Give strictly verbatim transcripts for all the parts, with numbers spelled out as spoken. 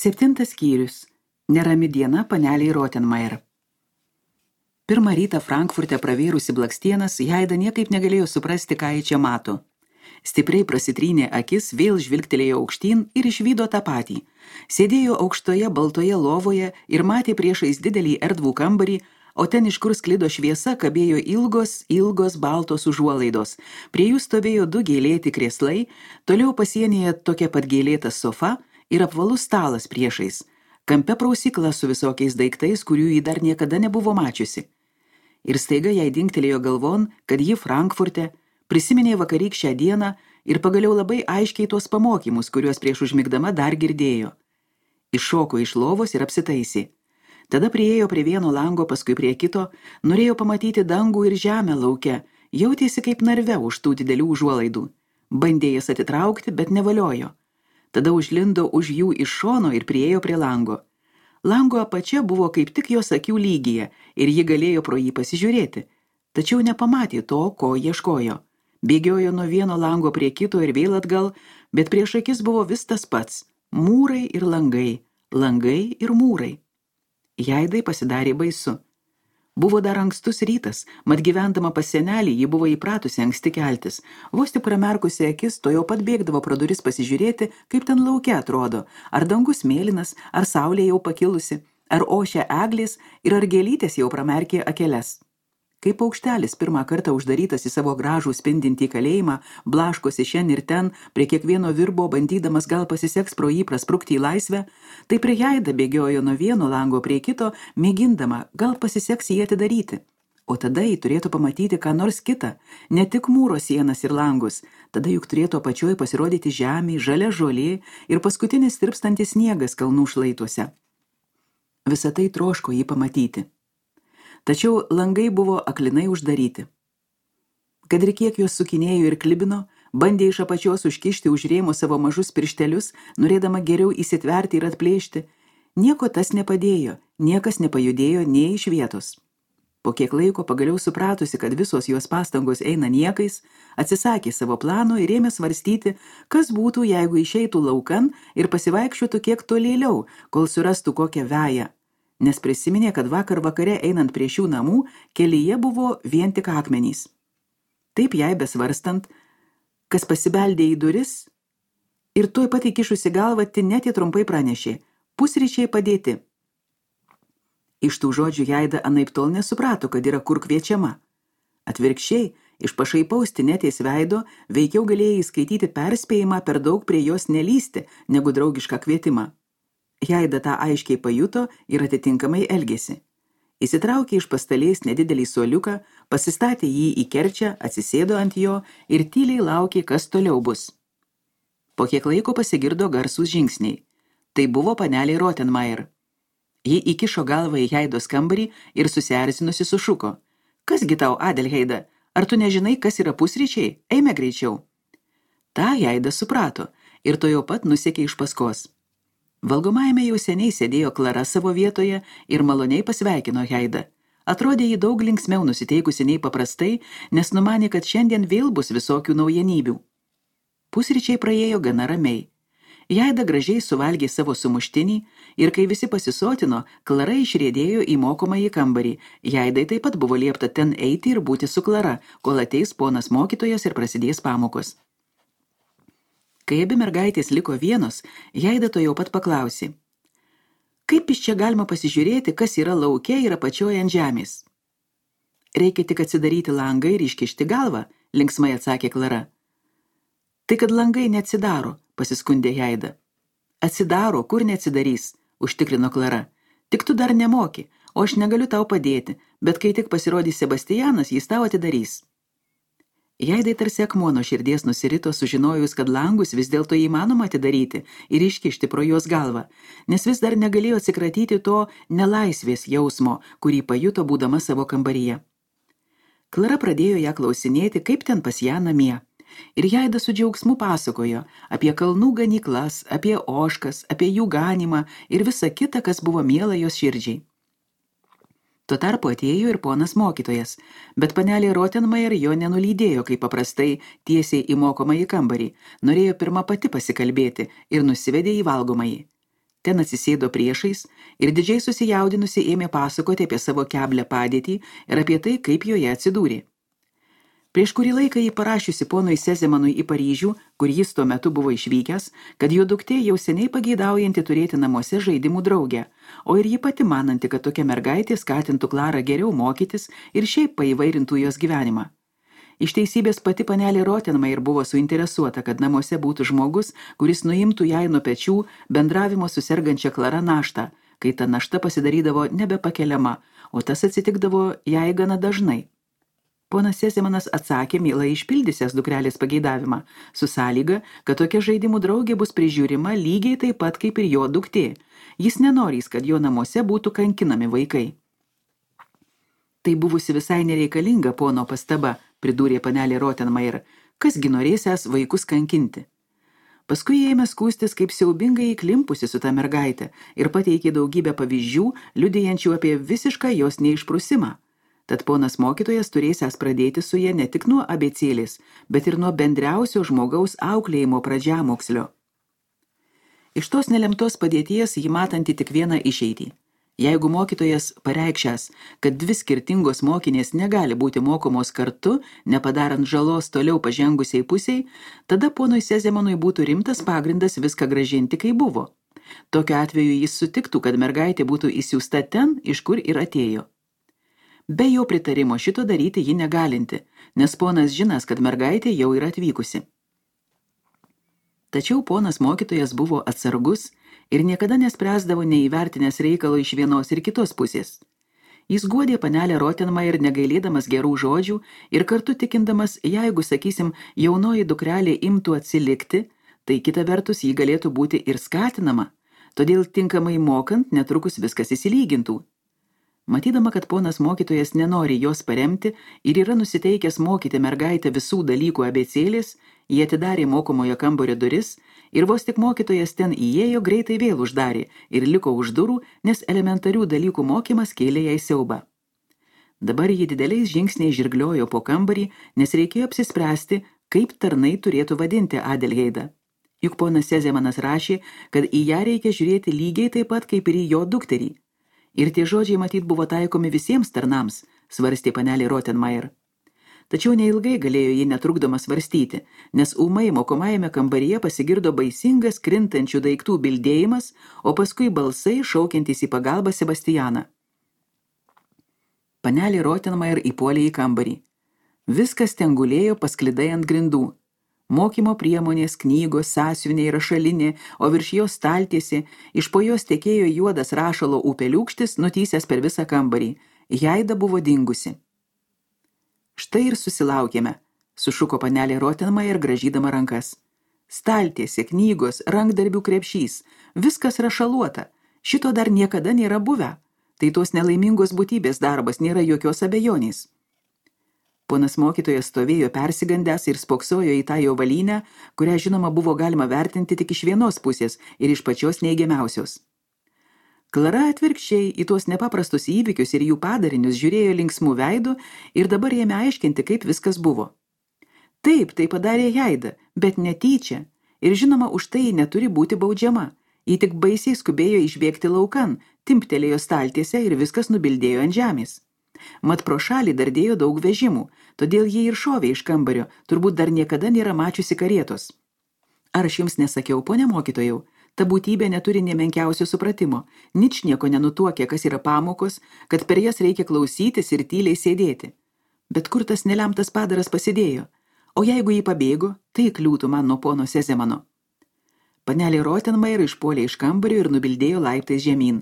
Septintas skyrius. Nerami diena paneliai Rottenmeier. Pirmą rytą Frankfurte pravėrusi blakstienas, Jaida niekaip negalėjo suprasti, ką jį čia mato. Stipriai prasitrynė akis, vėl žvilgtelėjo aukštyn ir išvydo tą patį. Sėdėjo aukštoje baltoje lovoje ir matė priešais didelį erdvų kambarį, o ten, iš kur sklido šviesa, kabėjo ilgos, ilgos baltos užuolaidos. Prie jų stovėjo du gėlėti krėslai, toliau pasienyje tokia pat gėlėta sofa ir apvalus stalas priešais. Kampe prausykla su visokiais daiktais, kurių jį dar niekada nebuvo mačiusi. Ir staiga jai dingtelėjo galvon, kad ji Frankfurte prisiminė vakarykščią dieną ir pagaliau labai aiškiai tuos pamokymus, kuriuos prieš užmigdama dar girdėjo. Iššoko iš lovos ir apsitaisė. Tada priėjo prie vieno lango, paskui prie kito, norėjo pamatyti dangų ir žemę lauke, jautėsi kaip narve už tų didelių užuolaidų. Bandė jas atitraukti, bet nevaliojo. Tada užlindo už jų iš šono ir priėjo prie lango. Lango apačia buvo kaip tik jos akių lygyje ir ji galėjo pro jį pasižiūrėti, tačiau nepamatė to, ko ieškojo. Bėgiojo nuo vieno lango prie kito ir vėl atgal, bet prieš akis buvo vis tas pats – mūrai ir langai, langai ir mūrai. Jaidai pasidarė baisu. Buvo dar ankstus rytas, mat gyvendama pas senelį ji buvo įpratusi anksti keltis. Vos tik pramerkusi akis, to jau pat bėgdavo pro duris pasižiūrėti, kaip ten lauke atrodo, ar dangus mėlynas, ar saulė jau pakilusi, ar ošia eglės ir ar gėlytės jau pramerkė akeles. Kaip paukštelis pirmą kartą uždarytas į savo gražų spindintį kalėjimą, blaškosi šen ir ten, prie kiekvieno virbo bandydamas gal pasiseks pro jį prasprukti į laisvę, tai prie Jaida bėgiojo nuo vieno lango prie kito, mėgindama, gal pasiseks jį atidaryti. O tada jį turėtų pamatyti ką nors kitą, ne tik mūro sienas ir langus, tada juk turėtų apačioj pasirodyti žemė, žalia žolė ir paskutinis tirpstantis sniegas kalnų šlaituose. Visą tai troško jį pamatyti. Tačiau langai buvo aklinai uždaryti. Kad ir kiek juos sukinėjo ir klibino, bandė iš apačios užkišti už rėmo savo mažus pirštelius, norėdama geriau įsitverti ir atplėšti, nieko tas nepadėjo, niekas nepajudėjo nei iš vietos. Po kiek laiko pagaliau supratusi, kad visos jos pastangos eina niekais, atsisakė savo plano ir ėmė svarstyti, kas būtų, jeigu išeitų laukan ir pasivaikščiotų kiek tolėliau, kol surastų kokią veją. Nes prisiminė, kad vakar vakare einant prie šių namų, kelyje buvo vien tik akmenys. Taip jai besvarstant, kas pasibeldė į duris, ir tuoj pat įkišusi galvą Tinetė trumpai pranešė, pusryčiai padėti. Iš tų žodžių Jaida anaiptol nesuprato, kad yra kur kviečiama. Atvirkščiai, iš pašaipaus Tinetės veido, veikiau galėjai skaityti perspėjimą per daug prie jos nelysti, negu draugišką kvietimą. Jaida tą aiškiai pajuto ir atitinkamai elgėsi. Įsitraukė iš pastalės nedidelį suoliuką, pasistatė jį į kerčią, atsisėdo ant jo ir tyliai laukė, kas toliau bus. Po kiek laiko pasigirdo garsūs žingsniai. Tai buvo panelė Rottenmeier. Ji įkišo galvą į Jaidos kambarį ir susierzinusi sušuko. Kasgi tau, Adelheida, ar tu nežinai, kas yra pusryčiai? Eime greičiau. Ta Jaida suprato ir to jau pat nusekė iš paskos. Valgomajame jau seniai sėdėjo Klara savo vietoje ir maloniai pasveikino Jaidą. Atrodė jį daug linksmiau nusiteikusi nei paprastai, nes numanė, kad šiandien vėl bus visokių naujienybių. Pusryčiai praėjo gana ramiai. Jaida gražiai suvalgė savo sumuštinį ir kai visi pasisotino, Klara išriedėjo į mokomąjį kambarį. Jaidai taip pat buvo liepta ten eiti ir būti su Klara, kol ateis ponas mokytojas ir prasidės pamokos. Kai abi mergaitės liko vienos, Jaida to jau pat paklausė. Kaip iš čia galima pasižiūrėti, kas yra lauke ir apačioje ant žemės? Reikia tik atsidaryti langą ir iškišti galvą, linksmai atsakė Klara. Tai kad langai neatsidaro, pasiskundė Jaida. Atsidaro, kur neatsidarys, užtikrino Klara. Tik tu dar nemoki, o aš negaliu tau padėti, bet kai tik pasirodys Sebastianas, jis tau atidarys. Jaidai tarsi akmuo nuo širdies nusirito, sužinojus, kad langus vis dėlto įmanoma atidaryti ir iškišti pro jos galvą, nes vis dar negalėjo atsikratyti to nelaisvės jausmo, kurį pajuto būdama savo kambaryje. Klara pradėjo ją klausinėti, kaip ten pas ją namie. Ir Jaida su džiaugsmu pasakojo apie kalnų ganyklas, apie ožkas, apie jų ganymą ir visą kitą, kas buvo miela jos širdžiai. Tuo tarpu atėjo ir ponas mokytojas, bet panelė Rottenmeier jo nenulydėjo, kaip paprastai, tiesiai į mokomąjį kambarį, norėjo pirma pati pasikalbėti ir nusivedė į valgomąjį. Ten atsisėdo priešais ir didžiai susijaudinusi ėmė pasakoti apie savo keblią padėtį ir apie tai, kaip joje atsidūrė. Prieš kurį laiką jį parašiusi ponui Sezemanui į Paryžių, kur jis tuo metu buvo išvykęs, kad jo duktė jau seniai pageidaujanti turėti namuose žaidimų draugę, o ir ji pati mananti, kad tokia mergaitė skatintų Klarą geriau mokytis ir šiaip paįvairintų jos gyvenimą. Iš teisybės pati panelė Rottenmeier buvo suinteresuota, kad namuose būtų žmogus, kuris nuimtų jai nuo pečių bendravimo su sergančia Klara naštą, kai ta našta pasidarydavo nebepakeliama, o tas atsitikdavo jai gana dažnai. Ponas Sezemanas atsakė, mielai išpildysęs dukrelės pageidavimą, su sąlyga, kad tokia žaidimų draugė bus prižiūrima lygiai taip pat kaip ir jo duktė. Jis nenorys, kad jo namuose būtų kankinami vaikai. Tai buvusi visai nereikalinga pono pastaba, pridūrė panelė Rottenmeier, kasgi norėsęs vaikus kankinti. Paskui ėmė skųstis, kaip siaubingai įklimpusi su ta mergaitė ir pateikė daugybę pavyzdžių, liudijančių apie visišką jos neišprusimą. Tad ponas mokytojas turėsęs pradėti su ja ne tik nuo abėcėlės, bet ir nuo bendriausio žmogaus auklėjimo pradžiamokslio. Iš tos nelemtos padėties jį matanti tik vieną išeitį. Jeigu mokytojas pareikšęs, kad dvi skirtingos mokinės negali būti mokomos kartu, nepadarant žalos toliau pažengusiai pusiai, tada ponui Sezemanui būtų rimtas pagrindas viską grąžinti, kai buvo. Tokiu atveju jis sutiktų, kad mergaitė būtų įsiųsta ten, iš kur ir atėjo. Be jo pritarimo šito daryti ji negalinti, nes ponas žinas, kad mergaitė jau yra atvykusi. Tačiau ponas mokytojas buvo atsargus ir niekada nespręsdavo neįvertinęs reikalo iš vienos ir kitos pusės. Jis guodė panelę Rottenmeier negailėdamas gerų žodžių ir kartu tikindamas, jeigu, sakysim, jaunoji dukrelė imtų atsilikti, tai kita vertus jį galėtų būti ir skatinama, todėl tinkamai mokant netrukus viskas įsilygintų. Matydama, kad ponas mokytojas nenori jos paremti ir yra nusiteikęs mokyti mergaitę visų dalykų abėcėlės, jie atidarė mokomojo kambario duris ir vos tik mokytojas ten įėjo, greitai vėl uždarė ir liko už durų, nes elementarių dalykų mokymas kėlė jai siaubą. Dabar ji dideliais žingsniais žirgliojo po kambarį, nes reikėjo apsispręsti, kaip tarnai turėtų vadinti Adelheidą. Juk ponas Sezemanas rašė, kad į ją reikia žiūrėti lygiai taip pat kaip ir į jo dukterį. Ir tie žodžiai matyt buvo taikomi visiems tarnams, svarstė panelė Rottenmeier. Tačiau neilgai galėjo ji netrukdoma svarstyti, nes ūmai mokomajame kambaryje pasigirdo baisingas krintančių daiktų bildėjimas, o paskui balsai šaukiantys į pagalbą Sebastianą. Panelė Rottenmeier įpuolė į kambarį. Viskas ten gulėjo pasklidai ant grindų. Mokymo priemonės, knygos, sąsiuviniai, rašalinė, o virš jos staltiesė, iš po jos tekėjo juodas rašalo upeliūkštis, nutysęs per visą kambarį. Jaida buvo dingusi. Štai ir susilaukėme, sušuko panelė Rottenmeier gražydama rankas. Staltiesė, knygos, rankdarbių krepšys, viskas rašaluota. Šito dar niekada nėra buvę. Tai tos nelaimingos būtybės darbas, nėra jokios abejonės. Ponas mokytojas stovėjo persigandęs ir spoksojo į tą jo valynę, kurią žinoma buvo galima vertinti tik iš vienos pusės ir iš pačios neigiamiausios. Klara atvirkščiai į tuos nepaprastus įvykius ir jų padarinius žiūrėjo linksmų veidų ir dabar ėmė aiškinti, kaip viskas buvo. Taip, tai padarė Jaida, bet netyčia, ir žinoma, už tai ji neturi būti baudžiama. Ji tik baisiai skubėjo išbėgti laukan, timptelėjo staltiese ir viskas nubildėjo ant žemės. Mat pro šalį dardėjo daug vežimų, todėl jie ir šovė iš kambario, turbūt dar niekada nėra mačiusi karietos. Ar aš jums nesakiau, ponia mokytojau, ta būtybė neturi nė menkiausio supratimo, nič nieko nenutuokia, kas yra pamokos, kad per jas reikia klausytis ir tyliai sėdėti. Bet kur tas nelemtas padaras pasidėjo? O jeigu jį pabėgo, tai kliūtų man nuo pono Sezemano. Panelė Rottenmeier išpuolė iš kambario ir nubildėjo laiptais žemyn.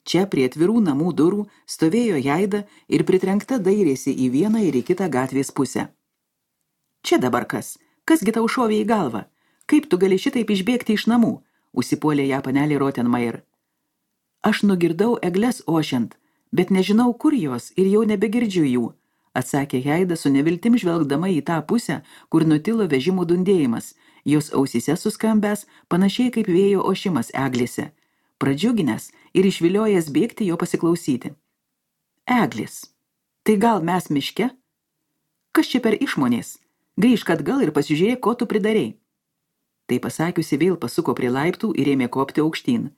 Čia prie atvirų namų durų stovėjo Jaida ir pritrenkta dairėsi į vieną ir į kitą gatvės pusę. Čia dabar kas? Kasgi tau šovė į galvą? Kaip tu gali šitaip išbėgti iš namų? Užsipuolė ją panelė Rottenmeier. Aš nugirdau egles ošiant, bet nežinau, kur jos ir jau nebegirdžiu jų, atsakė Jaida su neviltim žvelgdama į tą pusę, kur nutilo vežimų dundėjimas, jos ausyse suskambęs panašiai kaip vėjo ošimas eglėse. Pradžiuginęs ir išviliojęs bėgti jo pasiklausyti. Eglis. Tai gal mes miške? Kas čia per išmonės? Grįžk atgal ir pasižiūrėk, ko tu pridarei. Tai pasakiusi vėl pasuko prie laiptų ir ėmė kopti aukštyn.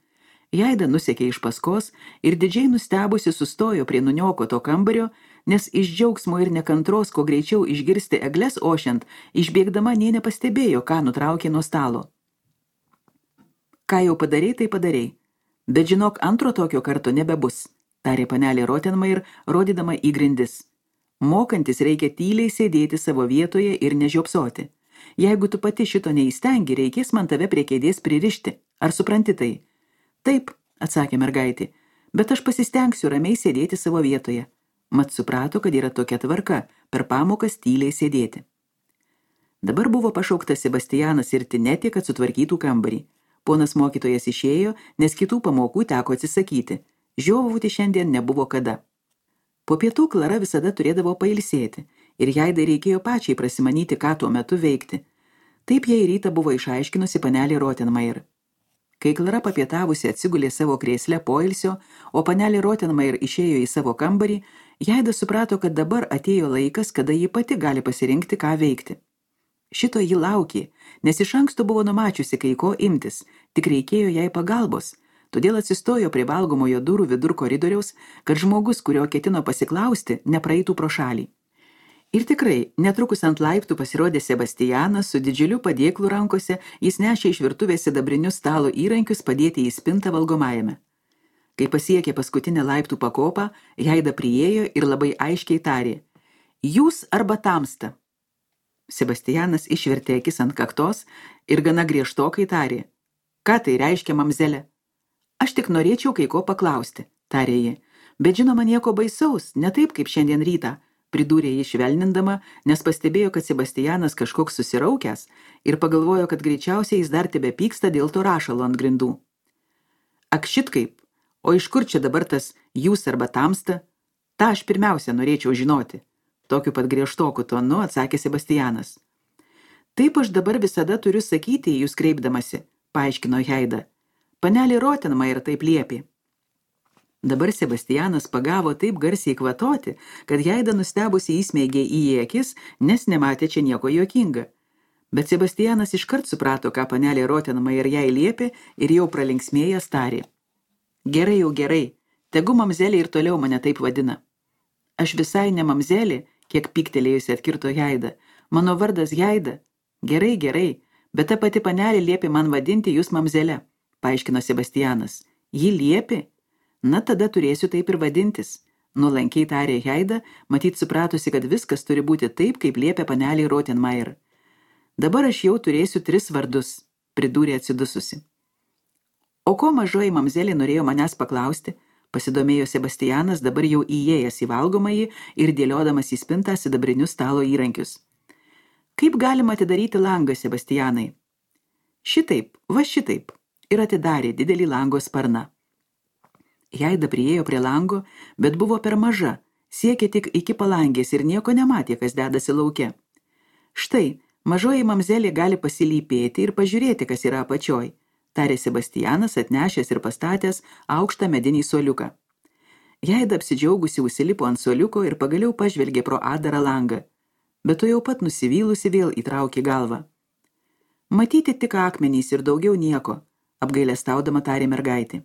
Jaida nusekė iš paskos ir didžiai nustebusi sustojo prie nuniokoto kambario, nes iš džiaugsmo ir nekantros, kuo greičiau išgirsti egles ošiant, išbėgdama nė nepastebėjo, ką nutraukė nuo stalo. Ką jau padarei, tai padarei. Bet žinok, antro tokio karto nebebus, tarė panelė Rottenmeier, rodydama į grindis. Mokantis reikia tyliai sėdėti savo vietoje ir nežiopsoti. Jeigu tu pati šito neįstengi, reikės man tave prie kėdės pririšti. Ar supranti tai? Taip, atsakė mergaitė, bet aš pasistengsiu ramiai sėdėti savo vietoje. Mat suprato, kad yra tokia tvarka, per pamokas tyliai sėdėti. Dabar buvo pašauktas Sebastianas ir Tinetė, kad sutvarkytų kambarį. Ponas mokytojas išėjo, nes kitų pamokų teko atsisakyti. Žiovauti šiandien nebuvo kada. Po pietų Klara visada turėdavo pailsėti, ir Jaidai reikėjo pačiai prasimanyti, ką tuo metu veikti. Taip jai rytą buvo išaiškinusi panelė Rottenmeier. Kai Klara papietavusi atsigulė savo krėsle poilsio, o panelė Rottenmeier išėjo į savo kambarį, Jaida suprato, kad dabar atėjo laikas, kada ji pati gali pasirinkti, ką veikti. Šito ji laukė, nes iš anksto buvo numačiusi, kai ko imtis, tik reikėjo jai pagalbos, todėl atsistojo prie valgomojo durų vidur koridoriaus, kad žmogus, kurio ketino pasiklausti, nepraeitų pro šalį. Ir tikrai, netrukus ant laiptų pasirodė Sebastianas su didžiuliu padėklu rankose, jis nešė iš virtuvės sidabrinius stalo įrankius padėti į spintą valgomajame. Kai pasiekė paskutinę laiptų pakopą, Jaida priėjo ir labai aiškiai tarė: Jūs arba tamsta. Sebastianas išvertė akis ant kaktos ir gana griežtokai tarė: Ką tai reiškia, mamzelė? Aš tik norėčiau kai ko paklausti, tarė ji, bet žinoma nieko baisaus, ne taip kaip šiandien rytą, pridūrė ji švelnindama, nes pastebėjo, kad Sebastianas kažkoks susiraukęs ir pagalvojo, kad greičiausiai jis dar tebe pyksta dėl to rašalo ant grindų. Ak šitkaip, o iš kur čia dabar tas jūs arba tamsta? Ta aš pirmiausia norėčiau žinoti. Tokiu pat griežtoku tonu atsakė Sebastianas. Taip aš dabar visada turiu sakyti jūs kreipdamasi, paaiškino Jaida. Panelė Rottenmeier taip liepė. Dabar Sebastianas pagavo taip garsiai kvatoti, kad Jaida nustebusi įsmeigė į jį akis, nes nematė čia nieko juokinga. Bet Sebastianas iškart suprato, ką panelė Rottenmeier jai liepė ir jau pralinksmėjęs tarė. Gerai jau gerai, tegu mamzelė ir toliau mane taip vadina. Aš visai ne mamzelė, kiek pyktelėjusi atkirto Jaida. Mano vardas Jaida. Gerai, gerai, bet ta pati panelė liepė man vadinti jūs mamzelė, paaiškino Sebastianas. Ji liepė? Na, tada turėsiu taip ir vadintis. Nuolankiai tarė Jaida, matyt supratusi, kad viskas turi būti taip, kaip liepė panelė Rottenmeier. Dabar aš jau turėsiu tris vardus, pridūrė atsidususi. O ko mažoji mamzelė norėjo manęs paklausti? Pasidomėjo Sebastianas, dabar jau įėjęs į valgomąjį ir dėliodamas į spintą sidabrinius stalo įrankius. Kaip galima atidaryti langą, Sebastianai? Šitaip, va šitaip. Ir atidarė didelį lango sparną. Jaida priėjo prie lango, bet buvo per maža, siekė tik iki palangės ir nieko nematė, kas dedasi lauke. Štai, mažoji mamzelė gali pasilypėti ir pažiūrėti, kas yra apačioj, tarė Sebastianas, atnešęs ir pastatęs aukštą medinį suoliuką. Jaida apsidžiaugusi užsilipo ant suoliuko ir pagaliau pažvelgė pro adarą langą, bet to jau pat nusivylusi vėl įtraukė galvą. Matyti tik akmenys ir daugiau nieko, apgailestaudama tarė mergaitė.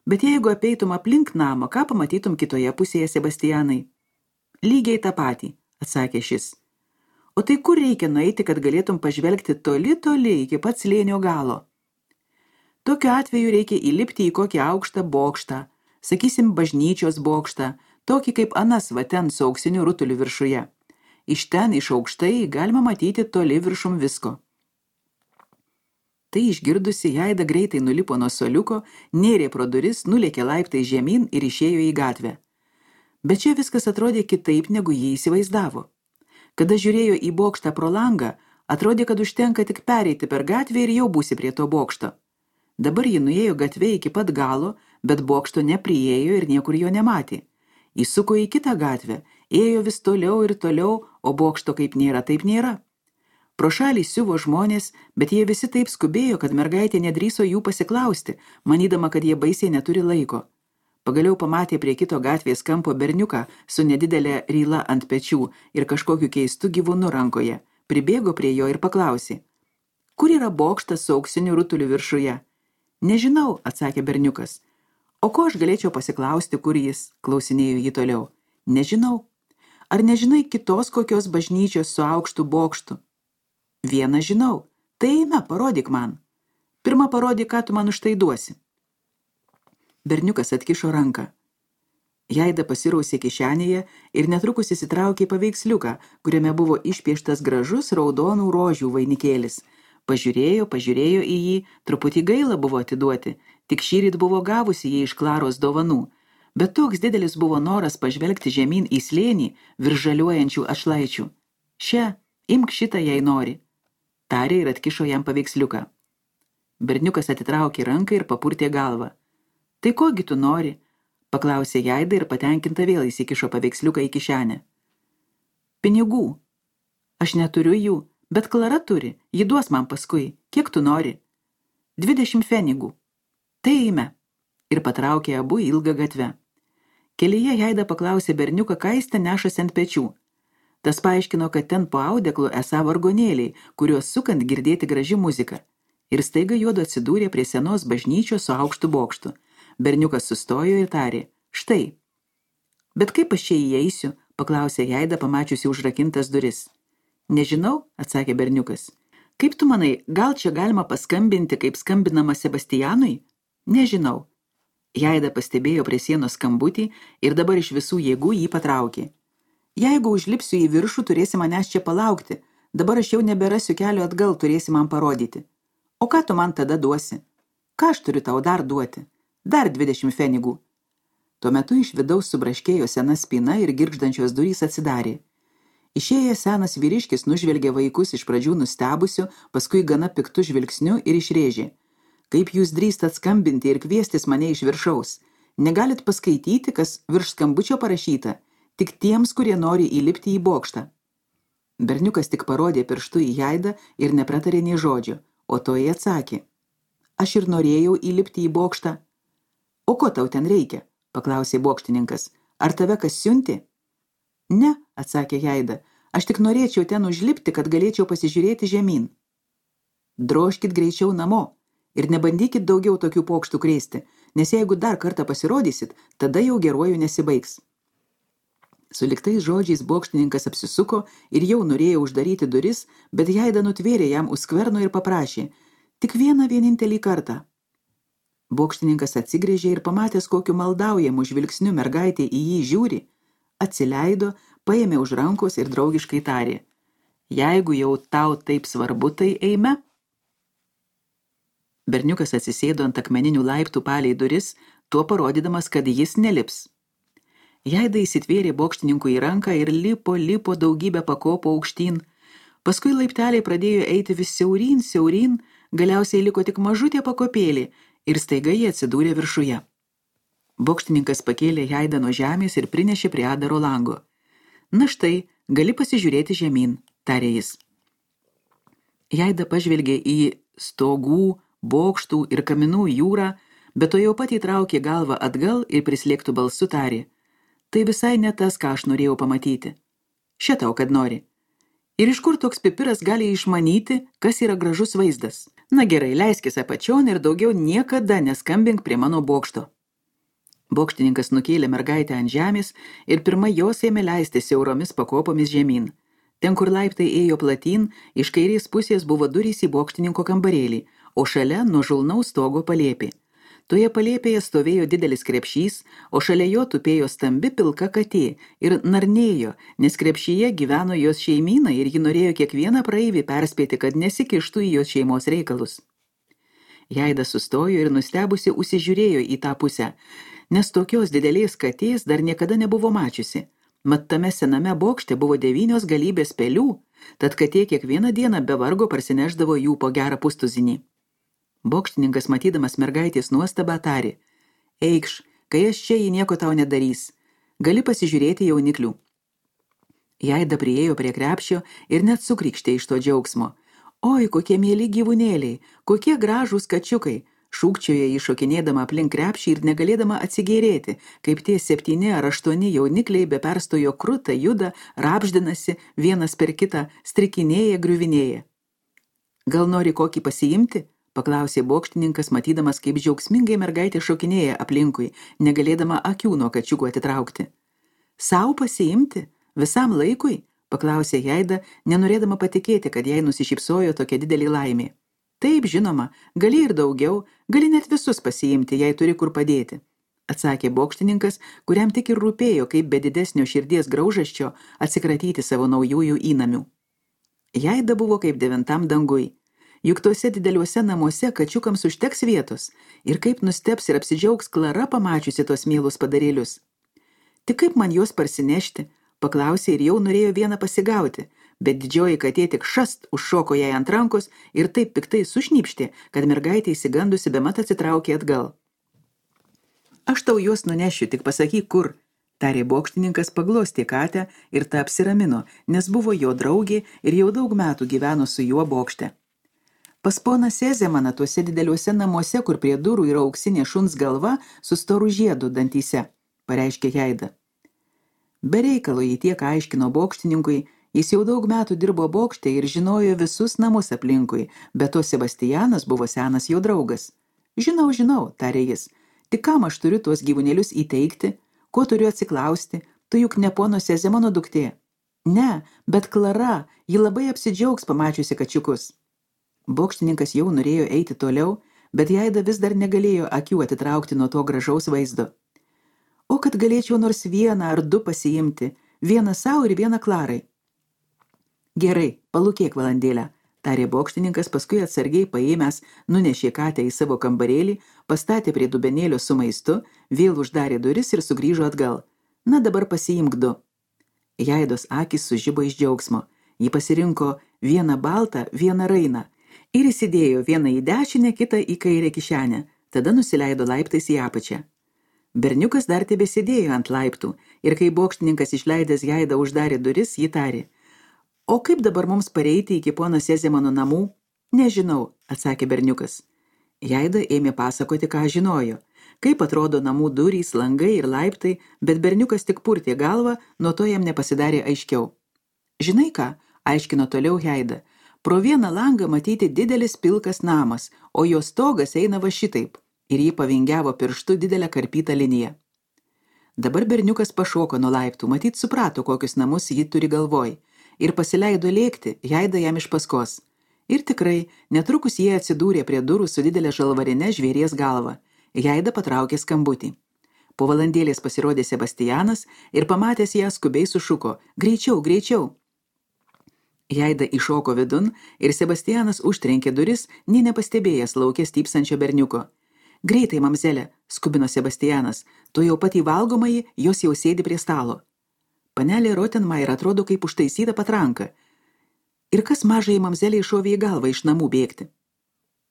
Bet jeigu apeitum aplink namą, ką pamatytum kitoje pusėje, Sebastianai? Lygiai tą patį, atsakė šis. O tai kur reikia nueiti, kad galėtum pažvelgti toli, toli iki pat slėnio galo? Tokiu atveju reikia įlipti į kokį aukštą bokštą, sakysim bažnyčios bokštą, tokį kaip anas va ten su auksiniu rutuliu viršuje. Iš ten, iš aukštai, galima matyti toli viršum visko. Tai išgirdusi, Jaida greitai nulipo nuo suoliuko, nėrė pro duris, nulėkė laiptai žemyn ir išėjo į gatvę. Bet čia viskas atrodė kitaip, negu jį įsivaizdavo. Kada žiūrėjo į bokštą pro langą, atrodė, kad užtenka tik pereiti per gatvę ir jau būsi prie to bokšto. Dabar ji nuėjo gatvė iki pat galo, bet bokšto nepriėjo ir niekur jo nematė. Įsuko į kitą gatvę, ėjo vis toliau ir toliau, o bokšto kaip nėra, taip nėra. Pro šalį siuvo žmonės, bet jie visi taip skubėjo, kad mergaitė nedrįso jų pasiklausti, manydama, kad jie baisiai neturi laiko. Pagaliau pamatė prie kito gatvės kampo berniuką su nedidelė ryla ant pečių ir kažkokiu keistu gyvūnu rankoje. Pribėgo prie jo ir paklausė. Kur yra bokštas su auksiniu rutuliu viršuje? Nežinau, atsakė berniukas. O ko aš galėčiau pasiklausti, kur jis, klausinėjo jį toliau. Nežinau. Ar nežinai kitos kokios bažnyčios su aukštu bokštu? Vieną žinau. Tai eime, parodyk man. Pirma parodyk, ką tu man už tai duosi. Berniukas atkišo ranką. Jaida pasirausė kišenėje ir netrukus įsitraukė paveiksliuką, kuriame buvo išpieštas gražus raudonų rožių vainikėlis. Pažiūrėjo, pažiūrėjo į jį, truputį gaila buvo atiduoti, tik šįryt buvo gavusi jį iš Klaros dovanų, bet toks didelis buvo noras pažvelgti žemyn į slėnį virš žaliuojančių atšlaičių. Šia, imk šitą, jei nori. Tarė ir atkišo jam paveiksliuką. Berniukas atitraukė ranką ir papurtė galvą. Tai kogi tu nori? Paklausė Jaida ir patenkinta vėl įsikišo paveiksliuką į kišenę. Pinigų. Aš neturiu jų, bet Klara turi, ji duos man paskui. Kiek tu nori? Dvidešimt pfenigų. Tai eime. Ir patraukė abu ilgą gatvę. Kelyje Jaida paklausė berniuką, ką jis ten nešasi ant pečių. Tas paaiškino, kad ten po audeklu esą vargonėliai, kuriuos sukant girdėti graži muzika. Ir staiga juodu atsidūrė prie senos bažnyčios su aukštu bokštu. Berniukas sustojo ir tarė, štai. Bet kaip aš čia įeisiu, paklausė Jaida, pamačiusi užrakintas duris. Nežinau, atsakė berniukas. Kaip tu manai, gal čia galima paskambinti, kaip skambinama Sebastianui? Nežinau. Jaida pastebėjo prie sienos skambutį ir dabar iš visų jėgų jį patraukė. Jeigu užlipsiu į viršų, turėsi manęs čia palaukti. Dabar aš jau neberasiu kelio atgal, turėsi man parodyti. O ką tu man tada duosi? Ką aš turiu tau dar duoti? Dar dvidešimt pfenigų. Tuo metu iš vidaus subraškėjo sena spyna ir girgždančios durys atsidarė. Išėjęs senas vyriškis nužvelgė vaikus iš pradžių nustebusiu, paskui gana piktu žvilgsniu ir išrėžė. Kaip jūs drįstat skambinti ir kviestis mane iš viršaus? Negalit paskaityti, kas virš skambučio parašyta, tik tiems, kurie nori įlipti į bokštą. Berniukas tik parodė pirštu į Jaidą ir nepratarė nei žodžio, o toji atsakė. Aš ir norėjau įlipti į bokštą. O ko tau ten reikia? Paklausė bokštininkas. Ar tave kas siunti? Ne, atsakė Jaida. Aš tik norėčiau ten užlipti, kad galėčiau pasižiūrėti žemyn. Drožkit greičiau namo ir nebandykit daugiau tokių pokštų krėsti, nes jeigu dar kartą pasirodysit, tada jau geruoju nesibaigs. Su liktais žodžiais bokštininkas apsisuko ir jau norėjo uždaryti duris, bet Jaida nutvėrė jam už skverno ir paprašė. Tik vieną vienintelį kartą. Bokštininkas atsigrėžė ir pamatęs, kokiu maldaujamu žvilgsniu mergaitė į jį žiūri, atsileido, paėmė už rankos ir draugiškai tarė. Jeigu jau tau taip svarbu, tai eime. Berniukas atsisėdo ant akmeninių laiptų palei duris, tuo parodydamas, kad jis nelips. Jaida įsitvėrė bokštininkui į ranką ir lipo, lipo daugybę pakopų aukštyn. Paskui laipteliai pradėjo eiti vis siauryn, siauryn, galiausiai liko tik mažutė pakopėlė ir staiga jie atsidūrė viršuje. Bokštininkas pakėlė Jaidą nuo žemės ir prinešė prie Adaro lango. Na štai, gali pasižiūrėti žemyn, tarė jis. Jaida pažvelgė į stogų, bokštų ir kaminų jūrą, bet to jau pat įtraukė galvą atgal ir prislėgtų balsu tarė. Tai visai ne tas, ką aš norėjau pamatyti. Šitau, kad nori. Ir iš kur toks pipiras gali išmanyti, kas yra gražus vaizdas? Na gerai, leiskis apačion ir daugiau niekada neskambink prie mano bokšto. Bokštininkas nukėlė mergaitę ant žemės ir pirma jos ėmė leisti siauromis pakopomis žemyn. Ten, kur laiptai ėjo platyn, iš kairės pusės buvo durys į bokštininko kambarėlį, o šalia nuo žulnaus stogo palėpė. Toje palėpėje stovėjo didelis krepšys, o šalia jo tupėjo stambi pilka katė ir narnėjo, nes krepšyje gyveno jos šeimyna ir ji norėjo kiekvieną praeivį perspėti, kad nesikištų į jos šeimos reikalus. Jaida sustojo ir nustebusi užsižiūrėjo į tą pusę, nes tokios didelės katės dar niekada nebuvo mačiusi. Mat tame sename bokšte buvo devynios galybės pelių, tad katė kiekvieną dieną be vargo parsineždavo jų po gerą pustuzinį. Bokštininkas, matydamas mergaitės nuostabą, tarė. Eikš, kai aš čia jį nieko tau nedarys. Gali pasižiūrėti jauniklių. Jaida priėjo prie krepšio ir net sukrykštė iš to džiaugsmo. Oi, kokie mieli gyvūnėliai, kokie gražūs kačiukai, šūkčiojo jį šokinėdama aplink krepšį ir negalėdama atsigėrėti, kaip tie septyni ar aštuoni jaunikliai be perstojo kruta juda, rapždinasi, vienas per kitą, strikinėja, griuvinėja. Gal nori kokį pasiimti? paklausė bokštininkas, matydamas, kaip džiaugsmingai mergaitė šokinėja aplinkui, negalėdama akių nuo kačiukų atitraukti. Sau pasiimti? Visam laikui? Paklausė Jaida, nenorėdama patikėti, kad jai nusišypsojo tokia didelė laimė. Taip, žinoma, gali ir daugiau, gali net visus pasiimti, jei turi kur padėti, atsakė bokštininkas, kuriam tik ir rūpėjo, kaip be didesnio širdies graužaščio atsikratyti savo naujųjų įnamių. Jaida buvo kaip devintam dangui. Juk tuose dideliuose namuose kačiukams užteks vietos ir kaip nusteps ir apsidžiaugs Klara pamačiusi tos mielus padarėlius. Tik kaip man juos parsinešti, paklausė ir jau norėjo vieną pasigauti, bet didžioji katė tik šast užšoko jai ant rankos ir taip piktai sušnypštė, kad mergaitė įsigandusi bemat atsitraukė atgal. Aš tau juos nunešiu, tik pasakyk kur, tarė bokštininkas, paglostė katę ir ta apsiramino, nes buvo jo draugė ir jau daug metų gyveno su juo bokšte. Pas poną Sezemaną tuose dideliuose namuose, kur prie durų yra auksinė šuns galva su storu žiedu dantyse, pareiškė Jaida. Be reikalo jį tiek aiškino bokštininkui, jis jau daug metų dirbo bokšte ir žinojo visus namus aplinkui, bet to Sebastianas buvo senas jo draugas. Žinau, žinau, tarė jis, tik kam aš turiu tuos gyvūnėlius įteikti, ko turiu atsiklausti, tu juk ne pono Sezemano duktė. Ne, bet Klara, ji labai apsidžiaugs pamačiusi kačiukus. Bokštininkas jau norėjo eiti toliau, bet Jaida vis dar negalėjo akių atitraukti nuo to gražaus vaizdo. O kad galėčiau nors vieną ar du pasiimti, vieną savo ir vieną Klarai. Gerai, palūkėk valandėlę, tarė bokštininkas, paskui atsargiai paėmęs, nunešė katę į savo kambarėlį, pastatė prie dubenėlio su maistu, vėl uždarė duris ir sugrįžo atgal. Na dabar pasiimk du. Jaidos akys sužibo iš džiaugsmo. Ji pasirinko vieną baltą, vieną rainą ir įsidėjo vieną į dešinę, kitą į kairę kišenę, tada nusileido laiptais į apačią. Berniukas dar tebesėdėjo ant laiptų ir kai bokštininkas išleidęs Jaidą uždarė duris, ji tarė. O kaip dabar mums pareiti iki pono Sezemano namų? Nežinau, atsakė berniukas. Jaida ėmė pasakoti, ką žinojo, kaip atrodo namų durys, langai ir laiptai, bet berniukas tik purtė galvą, nuo to jam nepasidarė aiškiau. Žinai ką, aiškino toliau Jaida, pro vieną langą matyti didelis pilkas namas, o jo stogas eina va šitaip, ir jį pavingiavo pirštu didelę karpytą liniją. Dabar berniukas pašoko nuo laiptų, matyt suprato, kokius namus jį turi galvoj, ir pasileido lėkti, Jaida jam iš paskos. Ir tikrai, netrukus jie atsidūrė prie durų su didelė žalvarine žvėries galva. Jaida patraukė skambutį. Po valandėlės pasirodė Sebastianas ir pamatęs ją skubiai sušuko. Greičiau, greičiau. Jaida iššoko vidun ir Sebastianas užtrenkė duris, nė nepastebėjęs lauke stypsančio berniuko. Greitai, mamzelė, skubino Sebastianas, tu jau pat į valgomąjį, jos jau sėdi prie stalo. Panelė Rottenmeier atrodo kaip užtaisyta patranka. Ir kas mažai mamzelė iššovė į galvą iš namų bėgti.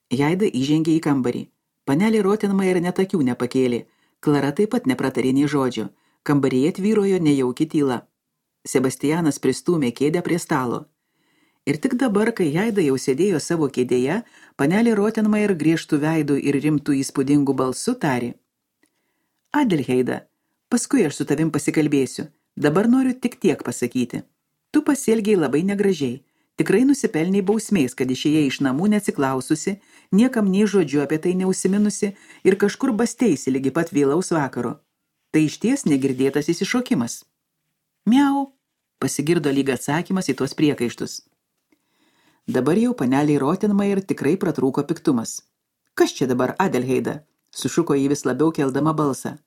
Jaida įžengė į kambarį. Panelė Rottenmeier net akių nepakėlė. Klara taip pat nepratarė nė žodžio. Kambaryje tvyrojo nejauki tyla. Sebastianas pristūmė kėdę prie stalo. Ir tik dabar, kai Jaida jau sėdėjo savo kėdėje, panelė Rottenmeier griežtų veidų ir rimtų įspūdingų balsų tarė. Adelheida, paskui aš su tavim pasikalbėsiu. Dabar noriu tik tiek pasakyti. Tu pasielgiai labai negražiai. Tikrai nusipelniai bausmės, kad išėjai iš namų neatsiklaususi, niekam nei žodžiu apie tai neusiminusi ir kažkur basteisi lygi pat vėlaus vakaro. Tai išties negirdėtas įsišokimas. Miau, pasigirdo lyg atsakymas į tuos priekaištus. Dabar jau paneliai Rottenmeier tikrai pratrūko piktumas. Kas čia dabar, Adelheida? Sušuko jį vis labiau keldama balsą.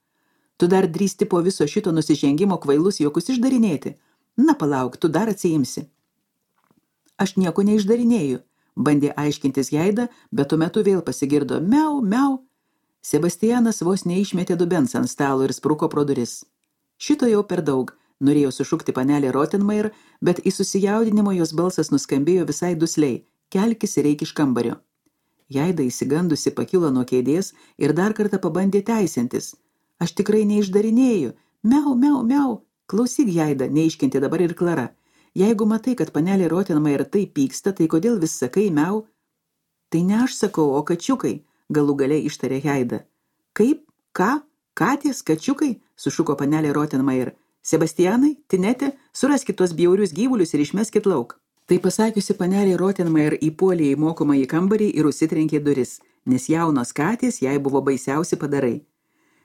Tu dar drįsti po viso šito nusižengimo kvailus juokus išdarinėti. Na palauk, tu dar atsiimsi. Aš nieko neišdarinėju, bandė aiškintis Jaida, bet tuo metu vėl pasigirdo miau, miau. Sebastianas vos neišmetė dubens ant stalo ir spruko pro duris. Šito jau per daug. Norėjo sušukti panelė Rottenmeier, bet į susijaudinimo jos balsas nuskambėjo visai dusliai. Kelkis ir eik iš kambario. Jaida įsigandusi pakilo nuo kėdės ir dar kartą pabandė teisintis. Aš tikrai neišdarinėju. Miau, miau, miau. Klausyk, Jaida, neiškentė dabar ir Klara. Jeigu matai, kad panelė Rottenmeier taip pyksta, tai kodėl vis sakai miau? Tai ne aš sakau, o kačiukai, galų gale ištarė Jaida. Kaip? Ką? Katės? Kačiukai? Sušuko panelė Rottenmeier. Sebastianai, Tinete, suraskit tuos bjaurius gyvulius ir išmeskit lauk. Tai pasakiusi panelė Rottenmeier įpuolė į mokomąjį kambarį ir užsitrenkė duris, nes jaunos katės jai buvo baisiausi padarai.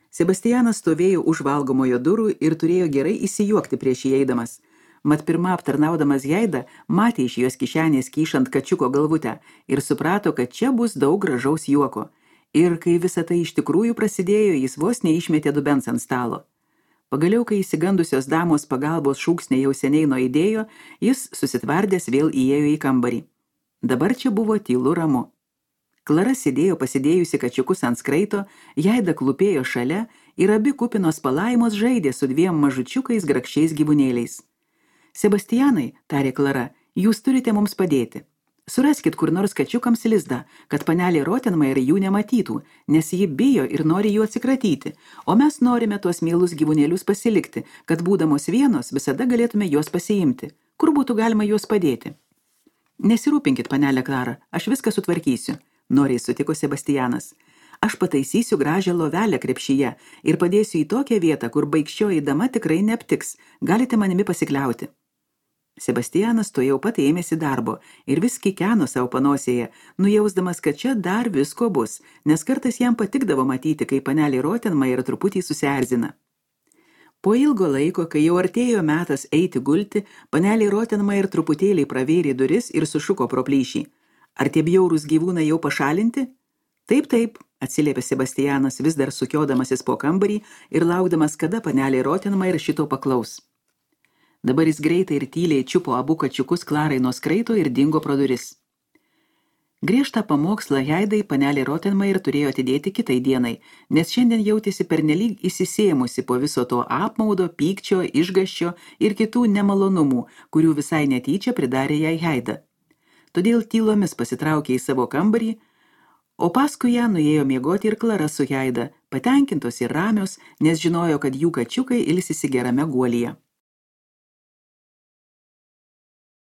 Sebastianas stovėjo už valgomojo durų ir turėjo gerai įsijuokti prieš įeidamas. Mat pirma aptarnaudamas Jaidą, matė iš jos kišenės kyšant kačiuko galvutę ir suprato, kad čia bus daug gražaus juoko. Ir kai visa tai iš tikrųjų prasidėjo, jis vos neišmetė dubens ant stalo. Pagaliau, kai įsigandusios damos pagalbos šūksnė jau seniai nuaidėjo, jis susitvardęs vėl įėjo į kambarį. Dabar čia buvo tylu ramu. Klara sėdėjo pasidėjusi kačiukus ant skraito, Jaida klūpėjo šalia ir abi kupinos palaimos žaidė su dviem mažučiukais grakščiais gyvūnėliais. Sebastianai, tarė Klara, jūs turite mums padėti. Suraskit kur nors kačiukams lizdą, kad panelė Rottenmeier jų nematytų, nes ji bijo ir nori jų atsikratyti, o mes norime tuos mielus gyvūnėlius pasilikti, kad būdamos vienos visada galėtume juos pasiimti. Kur būtų galima juos padėti? Nesirūpinkit, panelė Klara, aš viską sutvarkysiu, noriai sutiko Sebastianas. Aš pataisysiu gražią lovelę krepšyje ir padėsiu į tokią vietą, kur baikščioji dama tikrai neaptiks, galite manimi pasikliauti. Sebastianas to jau pat ėmėsi darbo ir vis kikeno savo panosėje, nujausdamas, kad čia dar visko bus, nes kartais jam patikdavo matyti, kai panelė Rottenmeier truputį susierzina. Po ilgo laiko, kai jau artėjo metas eiti gulti, panelė Rottenmeier truputėlį pravėrė duris ir sušuko pro plyšį. Ar tie bjaurūs gyvūnai jau pašalinti? Taip, taip, atsiliepė Sebastianas, vis dar sukiodamasis po kambarį ir laukdamas, kada panelė Rottenmeier šito paklaus. Dabar jis greitai ir tyliai čiupo abu kačiukus Klarai nuo skraito ir dingo pro duris. Griežtą pamokslą Jaidai panelė Rottenmeier turėjo atidėti kitai dienai, nes šiandien jautėsi pernelyg įsisėmusi po viso to apmaudo, pykčio, išgąsčio ir kitų nemalonumų, kurių visai netyčia pridarė jai Jaida. Todėl tylomis pasitraukė į savo kambarį, o paskui ją nuėjo miegoti ir Klara su Jaida, patenkintos ir ramios, nes žinojo, kad jų kačiukai ilsisi gerame guolyje.